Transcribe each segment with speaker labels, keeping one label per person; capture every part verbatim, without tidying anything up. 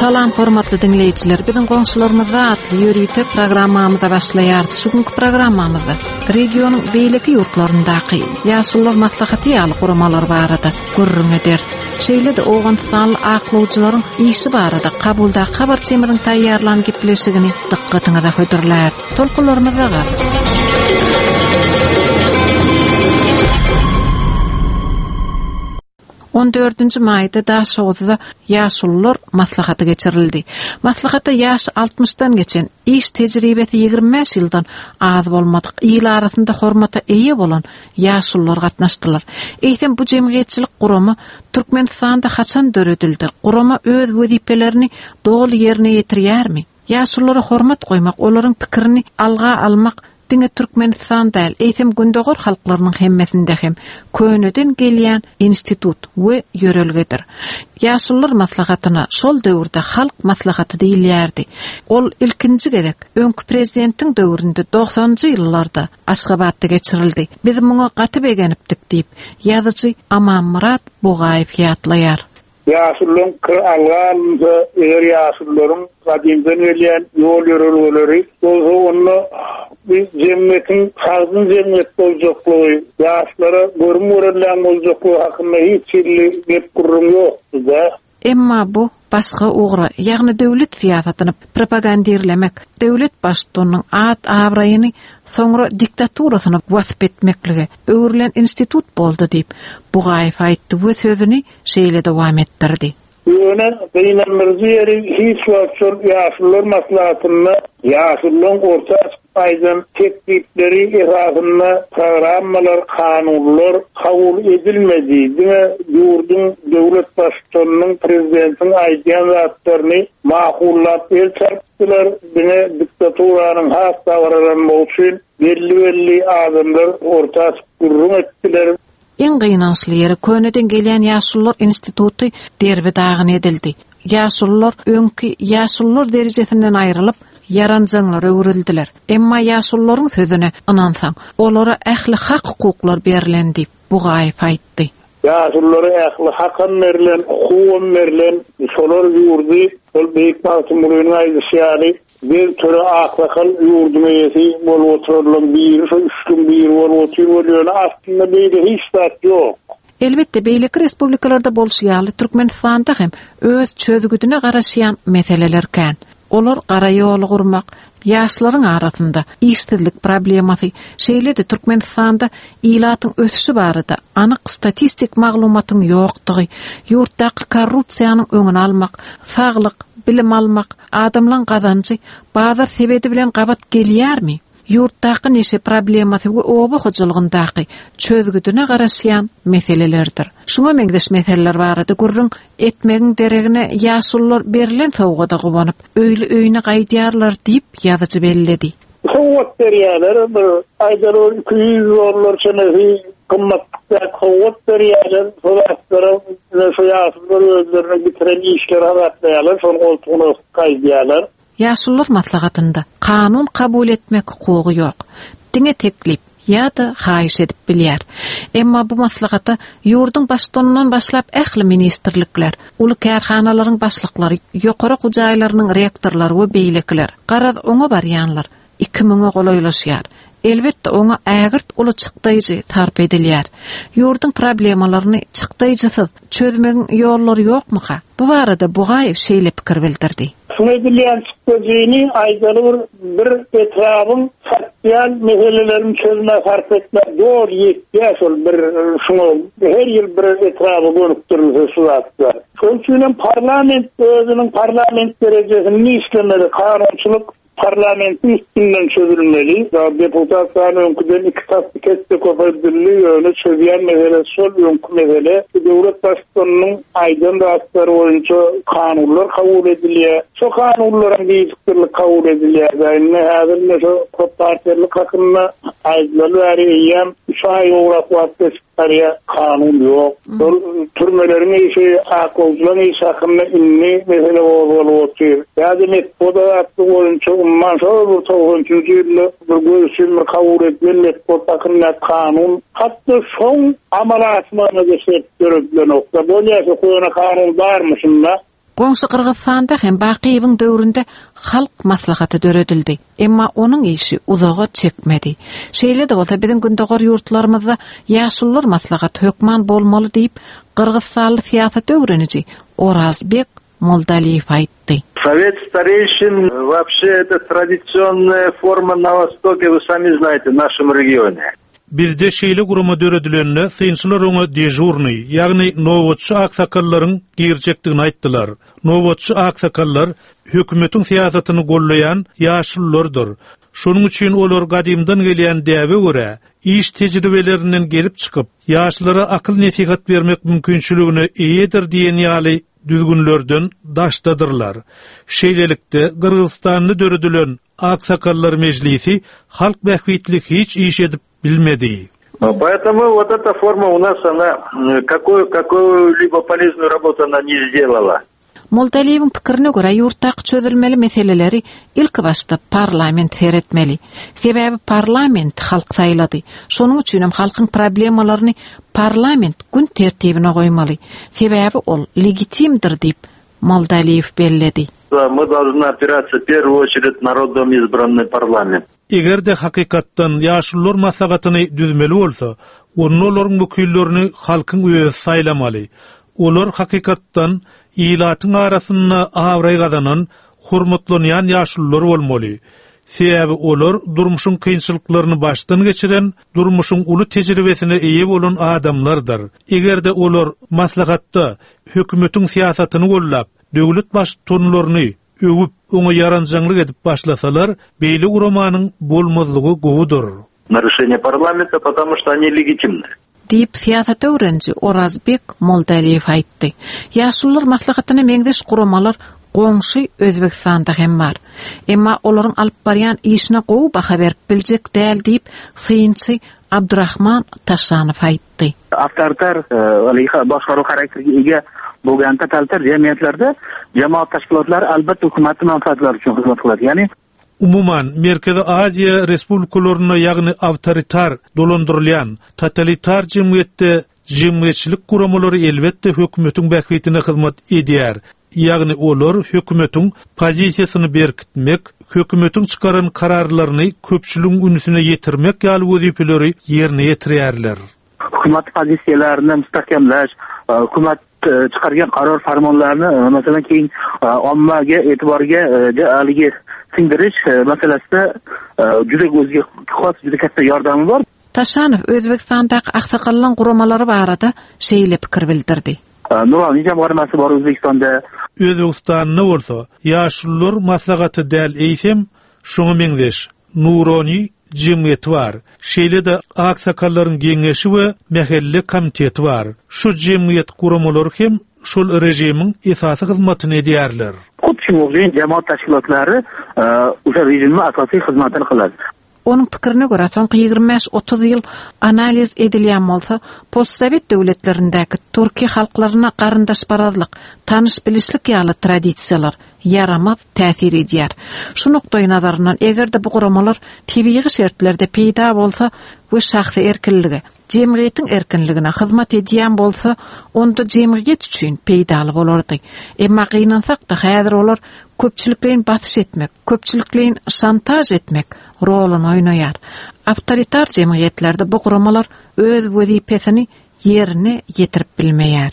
Speaker 1: Salam hormatly dinleýjiler. Biziň goňşularymyzda atly ýörite programmamyza başlaýarys. Şu günki programmamyzda regionyň beýleki ýurtlaryndaky ýaşulular maslahaty ýaly guramalar barada gürrüň ederis. Şeýle-de Owganystanly aklawjylaryň işi barada Kabulda habarçymyzyň taýýarlan gepleşigini dykgatyňyza hödürlär. Tolkunlarymyzda gal. On dördünji maýda Daşoguzda ýaşulular maslahaty geçirildi. Maslahata ýaş altmyşdan geçen, iş tejribesi ýigrimi bäş ýyldan az bolmadyk, il arasynda hormata eýe bolan ýaşulular gatnaşdylar. Eýsem bu jemgyýetçilik gurama Türkmenistanda haçan döredildi? Gurama öz wezipelerini doly ýerine ýetirýärmi? Ýaşululara hormat goýmak, olaryň pikirini alga almak diňe Türkmenistan däl, eýsem Gündogar halklarynyň hemmesinde hem köneden gelýän institut we ýörelgedir. Ýaşulular maslahatyna şol döwürde halk maslahaty diýilýärdi. Ol ilkinji gezek öňki prezidentiň döwründe doksanjy ýyllarda Aşgabatda geçirildi. Biz muňa gaty begenipdik diýip, ýazyjy Amanmyrat Bugaýew ýatlaýar.
Speaker 2: Ýaşulularyň kir alga eger ýaşulularyň gadymdan gelýän ýol ýörelgeleri bolsa onda bir jemgyýetiň sagdyn jemgyýet boljaklygy, ýaşlara görüm görülýän boljaklygy hakynda hiç hili gep gürrüň ýokdy-da.
Speaker 1: Emma bu başga ugra, ýagny döwlet syýasatyny propagandirlemek, döwlet baştutanynyň at abraýyny soňra diktaturasyny wasp etmeklige öwrülen institut boldy diýip, Bugaýew aýtdy we sözüni şeýle dowam etdirdi.
Speaker 2: Ýöne gynandyrjy ýeri hiç wagt şol ýaşulular maslahatynda ýaşulularyň orta aýdan teklipleri esasynda programmalar, kanunlar kabul edilmedi. Diňe ýurduň döwlet baştutanynyň, prezidentiň aýdýan zatlaryny mahullap el çarpdylar. Diňe diktaturanyň has dabaralanmagy üçin belli-belli adamlar orta gürrüň etdiler.
Speaker 1: Iň gynançly ýeri köneden gelýän ýaşulular instituty derbi dagyn edildi. Ýaşulular öňki ýaşulular derejesinden aýrylyp, ýaranjaňlara öwrüldiler. Emma ýaşulularyň sözüne ynansaň, olara ähli hak hukuklar berlen diýip Bugaýew aýtdy.
Speaker 2: Ýaşululara ähli hakam berlen, hukugam berlen, şolar ýurdy, ol Beýik Magtymgulynyň aýdyşy ýaly, bir töre aklakal ýurduň eýesi bolup oturanlaryň biri, şo üç gün biri bolup otyr bolýany aslynda beýle hiç zat ýok.
Speaker 1: Elbetde beýleki respublikalarda bolşy ýaly Türkmenistanda hem öz çözgüdine garaşýan meseleler kän. Olar gara ýoly gurmak, ýaşlaryň arasynda işsizlik problemasy, şeýle-de Türkmenistanda ilatyň ösüşi barada anyk statistik maglumatyň ýokdugy, ýurtdaky korrupsiýanyň öňüni almak, saglyk, bilim almak, adamlaryň gazanjy bazar sebedi bilen gabat gelýärmi? Ýurtdaky neşe problemasy we oba hojalygyndaky çözgüdine garaşýan meselelerdir. Şuňa meňzeş meseleler barada gürrüň etmegiň deregine ýaşulular berlen sowgada guwanyp, öýli-öýüne gaýdýarlar diýip ýazyjy belledi.
Speaker 2: Sowgat berýärler, bir aýdaly bir iki ýüz dollar çemesi gymmatlyk sowgat berýärler. Sowgatlara şu ýaşulular özlerine bitiren işleri hasaplaýarlar, şonuň goltugyna gaýdýarlar.
Speaker 1: Ýaşulular maslahatynda kanun kabul etmek hukugy ýok. Diňe teklip ýa-da haýyş edip bilýär. Emma bu maslahata ýurduň baştutanyndan başlap ähli ministrlikler, uly kärhanalaryň başlyklary, ýokary okuw jaýlarynyň rektorlary we beýlekiler, garaz oňa barýanlar iki müňe golaýlaşýar. Elbetde oňa ägirt uly çykdaýjy sarp edilýär. Ýurduň problemalaryny çykdaýjysyz çözmegiň ýollary ýokmyka? Bu barada Bugaýew şeýle pikir bildirdi.
Speaker 2: Şuny edilýän çykdajyny aýdaly bir, bir etrabın sosial meselelerini çözme sarp etme dogry ýetýär şol bir şuňa her ýyl bir etraba gönükdirilse şu zatlar. Şonuň üçin hem parlament özüniň parlament derejesini işlemeli, kanunçylyk parlamentin üstünden çözülmeli. Daha deputatların öňküden iki tas iki esse köpeldildi, ýöne çözýän mesele şol öňki mesele. Döwlet baştutanynyň aýdan zatlary boýunça kanunlar kabul edilýär. Şo kanunlaryň gijikdirlik kabul edilýär. Indi häzir ine şo köp partiýalyk hakynda aýdylaly bäri eýýäm üç aý gowrak wagt geçip barýar, kanun ýok. Şol türmeleriň işi, aklawjylaryň işi hakynda indi mesele gozgalyp otyr. Ýa-da metbugat azatlygy boýunça umman şol bir togsan üçünji ýylda bir görüşüm bir kabul edilen metbugat hakynda kanun hatda şoň amala aşmagyna da şert döredilen nokta. Bolýar şu köne kanun barmy şunda?
Speaker 1: Goňşy Gyrgyzystanda hem Bakyýewiň döwründe halk maslahaty döredildi. Emma onuň işi uzaga çekmedi. Şeýle-de bolsa biziň gündogar ýurtlarymyzda ýaşulular maslahaty hökman bolmaly diýip, Gyrgyzystanly syýasat öwreniji Orazbek Moldaliýew aýtdy.
Speaker 3: Совет старейшин вообще это традиционная форма на Востоке, вы сами знаете, в нашем регионе.
Speaker 4: Bizde şeýle gurama döredilende synçylar oňa dejurny, ýagny nobatçy aksakallaryň girjekdigini aýtdylar. Nobatçy aksakallar hökümetiň syýasatyny gollaýan ýaşululardyr. Şonuň üçin olar gadymdan gelýän däbe görä iş tejribelerinden gelip çykyp, ýaşlara akyl nesihat bermek mümkinçiligine eýedir diýen ýaly düzgünlerden daşdadyrlar. Şeýlelikde Gyrgyzystanda döredilen Aksakallar mejlisi halk bähbitli hiç iş edip bilmedi.
Speaker 3: Поэтому вот эта форма у нас, она какую, какую-либо полезную работу она не сделала.
Speaker 1: Moldaliýewiň pikirine görä ýurtdaky çözülmeli meseleleri ilk başda parlament seretmeli. Sebäbi parlament halk saýlady. Şonuň üçin hem halkyň problemalaryny parlament gün tertibine goýmaly. Sebäbi ol legitimdir diýip Moldaliýew belledi.
Speaker 3: Мы должны опираться в первую очередь народом избранный парламент.
Speaker 4: Eger-de hakykatdan ýaşulular maslahatyny düzmeli bolsa, onda olaryň wekillerini halkyň özi saýlamaly. Olar hakykatdan ilatyň arasynda abraý gazanan, hormatlanýan ýaşulular bolmaly. Sebäbi olar durmuşyň kynçylyklaryny başdan geçiren, durmuşyň uly tejribesine eýe bolan adamlardyr. Eger-de olar maslahatda hökümetiň syýasatyny gollap, döwlet baştutanlaryny öwüp, oňa ýaranjaňlyk edip başlasalar, beýle guramanyň bolmazlygy gowudyr.
Speaker 3: Нарушение парламента, потому что они легитимны.
Speaker 1: Diýip syýasat öwreniji Orazbek Moldaliýew aýtdy. Ýaşulular maslahatyna meňzeş guramalar goňşy Özbekistanda hem bar. Emma olaryň alyp barýan işine gowy baha berip biljek däl diýip synçy Abdurrahman Taşanow aýtdy.
Speaker 5: Avtoritar boshqaruv xarakteriga ega bo'lgan totalitar jamiyatlarda jamoat tashkilotlari albatta hukumatning manfaatlari uchun xizmat qiladi. Ya'ni
Speaker 4: Umuman Merkezi Aziýa Respublikalarynda ýagny avtoritar dolandyrylýan totalitar jemgyýetde jemgyýetçilik guramalary elbetde hökümetiň bähbitine hyzmat edýär. Ýagny olar hökümetiň pozisiýasyny berkitmek, hökümetiň çykaran kararlaryny köpçüligiň ünsüne ýetirmek ýaly wezipeleri ýerine ýetirýärler.
Speaker 5: Hukumat pozitsiyalarini mustahkamlash, hukumat chiqargan qaror farmonlarni masalan keyin ommaga e'tiborga haligi singdirish masalasida juda o'ziga xos juda katta yordami bor.
Speaker 1: Taşanow Özbekistandaky aksakallan guramalary barada şeýle pikir bildirdi.
Speaker 5: Nuroniy jamg'armasi bor O'zbekistonda.
Speaker 4: Özbekistanda bolsa ýaşulular maslahaty däl eýsem şoňa meňzeş Nuroniy jemgyýeti bar. Şeýle-de aksakallaryň geňeşi we mähelle komiteti bar. Şu jemgyýet guramalary hem şol rejimiň esasy hyzmatyny edýärler.
Speaker 5: Xuddi shunga o'xshagan jamoat tashkilotlari o'sha rejimning asosiy xizmatini qiladi.
Speaker 1: Onuň pikirine görä soňky ýigrimi bäş otuz ýyl analiz edilýän bolsa, postsovet döwletlerindäki türki halklaryna garyndaşparazlyk, tanyş bilişlik ýaly tradisiýalar ýaramaz täsir edýär. Şu nukdaý nazaryndan eger-de bu guramalar tebigy şertlerde peýda bolsa we şahsy erkinlige, jemgyýetiň erkinligine hyzmat edýän bolsa, onda jemgyýet üçin peýdaly bolardy. Emma gynansak-da häzir olar köpçülikleýin basyş etmek, köpçülikleýin şantaj etmek roluny oýnaýar. Avtoritar jemgyýetlerde bu guramalar öz wezipesini ýerine ýetirip bilmeýär.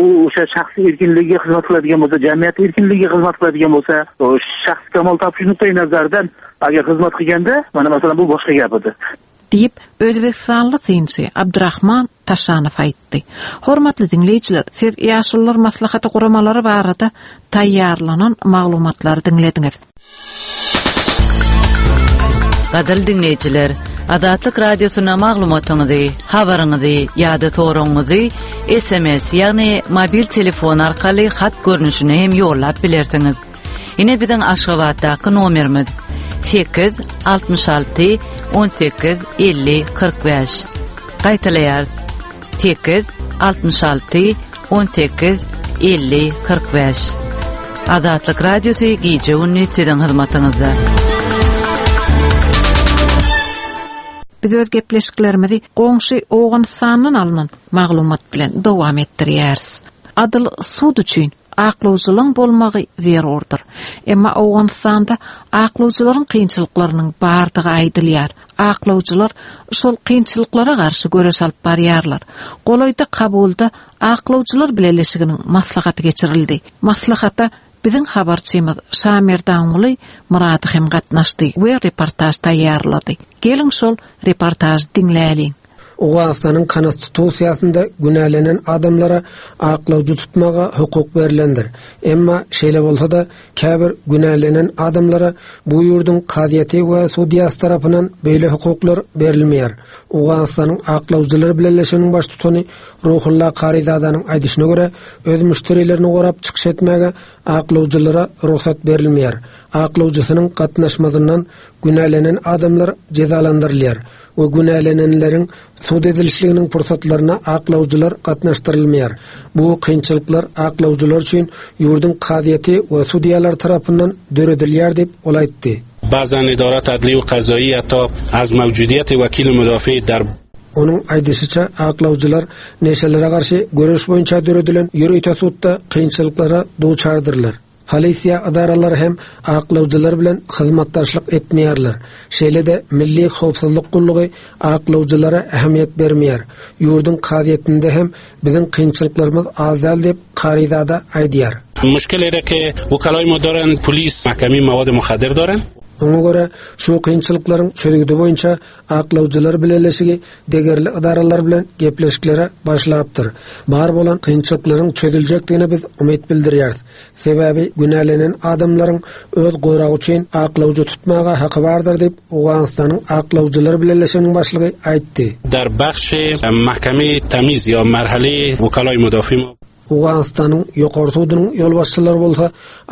Speaker 5: U o'sha shaxsiy erkinligiga xizmat qiladigan bo'lsa, jamiyat erkinligiga xizmat qiladigan bo'lsa, u shaxs kamol topish nuqtai nazaridan agar xizmat qilganda, mana masalan bu boshqa gap edi.
Speaker 1: Diýip Özbekistanly synçy Abdurrahman Taşanow aýtdy. Hormatly diňleýjiler, siz ýaşulular maslahaty guramalary barada taýýarlanan maglumatlary diňlediňiz.
Speaker 6: Gadyrly diňleýjiler, Azatlyk Radiosyna maglumatyňyzy, habaryňyzy ýa-da soragyňyzy S M S, ýagny mobil telefon arkaly hat görnüşine hem ýollap bilersiňiz. Ine biziň Aşgabatdaky nomerimiz sekiz altmyş alty on sekiz elli kyrk bäş. Gaýtalaýarys. Sekiz altmyş alty on sekiz elli kyrk bäş. Azatlyk Radiosy gije gündüz siziň hyzmatyňyzda.
Speaker 1: Biz öz gepleşiklerimizi goňşy Owganystandan alynan maglumat bilen dowam etdirýäris. Adyl sud üçin Aklawjylyň bolmagy zerurdyr. Emma Owganystanda aklawjylaryň kynçylyklarynyň bardygy aýdylýar. Aklawjylar şol kynçylyklara garşy göreş alyp barýarlar. Golaýda Kabulda aklawjylar bileleşiginiň maslahaty geçirildi. Maslahata biziň habarçymyz Şamerdanguly Murady hem gatnaşdy we reportaž taýýarlady. Geliň şol reportažy diňläliň.
Speaker 7: Owganystanyň konstitusiýasynda günälenen adamlara aklawjy tutmaga hukuk berilendir. Emma şeýle bolsa-da käbir günälenen adamlara bu ýurduň kazyýeti we sudýasy tarapyndan beýle hukuklar berilmeýär. Owganystanyň aklawjylar bileleşiginiň baştutany Ruhulla Karizadanyň aýdyşyna görä, öz müşderilerini gorap çykyş etmäge aklawjylara rugsat berilmeýär. Aklawjysynyň gatnaşmazyndan günälenen adamlar jezalandyrylýar we günälenenleriň sud edilişliginiň pursatlaryna aklawjylar gatnaşdyrylmaýar. Bu kynçylyklar aklawjylar üçin ýurduň kazyýeti we sudýalar tarapyndan döredilýär diýip ol aýtdy.
Speaker 8: بعضا ادارات عدلی و قضایی حتی از موجودیت وکیل مدافع در
Speaker 7: Onuň aýdyşyça aklawjylar neşelere garşy göreş boýunça döredilen ýörite sudda kynçylyklara duçardyrlar. Polisiýa edaralary hem aklawjylar bilen hyzmatdaşlyk etmeýärler. Şeýle-de Milli Howpsuzlyk gullugy aklawjylara ähmiýet bermeýär. Ýurduň kazyýetinde hem biziň kynçylyklarymyz az däl diýip Karizada aýdýar.
Speaker 8: مشکل ایره که وکلای ما دارن پلیس محکمه مواد مخدر دارن.
Speaker 7: Oňa görä şu kynçylyklaryň çözgüdi boýunça aklawjylar bileleşigi degerli edaralar bilen gepleşiklere başlapdyr. Bar bolan kynçylyklaryň çözüljekdigine biz umyt bildirýäris. Sebäbi günälenen adamlaryň öz goragy üçin aklawjy tutmaga haky bardyr diýip Owganystanyň aklawjylar bileleşiginiň başlygy aýtdy.
Speaker 8: در بخش محکمه تمیز یا مرحله وکلای مدافع ما
Speaker 7: Owganystanyň ýokary sudunyň ýolbaşçylary bolsa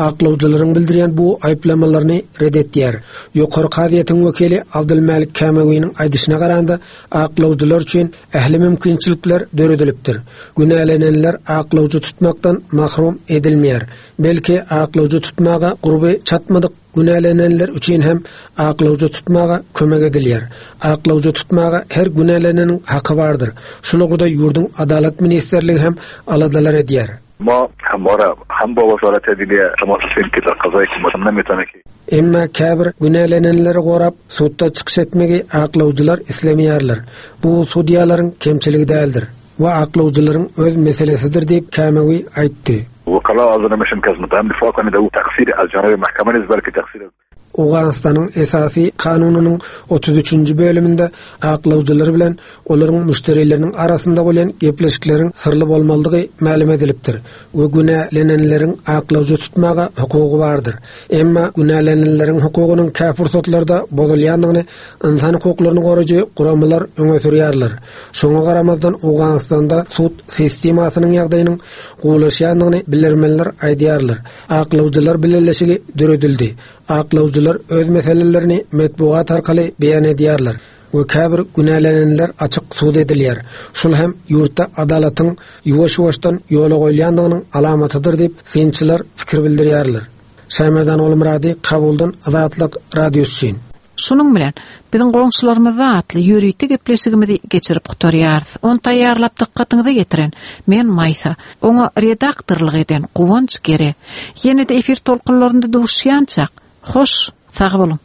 Speaker 7: aklawjylaryň bildirýän bu aýyplamalaryny red etýär. Ýokary kazyýetiň wekili Abdulmalik Kamawiniň aýdyşyna garanda aklawjylar üçin ähli mümkinçilikler döredilipdir. Günälenenler aklawjy tutmakdan mahrum edilmeýär. Belki aklawjy tutmaga gurby çatmadyk günälenenler üçin hem aklawjy tutmaga kömek edilýär. Aklawjy tutmaga her günäleneniň haky bardyr. Şul ugurda ýurduň Adalat Ministerligi hem aladalar edýär.
Speaker 9: ما همواره هم با وزارت عدلیه تماس هستیم که در قضای که نمیتونه که
Speaker 7: Emma käbir günälenenleri gorap sudda çykyş etmegi aklawjylar islemeýärler. Bu sudýalaryň kemçiligi däldir we aklawjylaryň öz meselesidir diýip Kamawi aýtdy.
Speaker 9: وکلا از نمیشن که از متهم دفاع کنه او تقصیر از جانب محکمه نیست بلکه تقصیر
Speaker 7: Owganystanyň esasy kanunynyň otuz üçünji bölüminde aklawjylar bilen olaryň müşderileriniň arasynda bolan gepleşikleriň syrly bolmalydygy mälim edilipdir we günälenenleriň aklawjy tutmaga hukugy bardyr. Emma günälenenleriň hukugynyň käbir pursatlarda bozulýandygyny insan hukuklaryny goraýjy guramalar öňe sürýärler. Şoňa garamazdan Owganystanda sud sistemasynyň ýagdaýynyň gowulaşýandygyny bilermenler aýdýarlar. Aklawjylar bileleşigi döredildi. Aklawjylar öz meselelerini metbugat arkaly beýan edýärler we käbir günälenenler açyk sud edilýär. Şul hem ýurtda adalatyň ýuwaş-ýuwaşdan ýola goýulýandygynyň alamatydyr diýip synçylar pikir bildirýärler. Şaýmerdan Olmurady, Kabuldan Azatlyk Radiosy üçin.
Speaker 1: Şunuň bilen biziň goňşularymyzda atly ýörite gepleşigimizi geçirip gutarýarys. Ony taýýarlap dykgatyňyza getiren men Maýsa, oňa redaktorlyk eden Guwanç Gere. Ýene-de efir tolkunlarynda duşýançak. Hoş, sag boluň.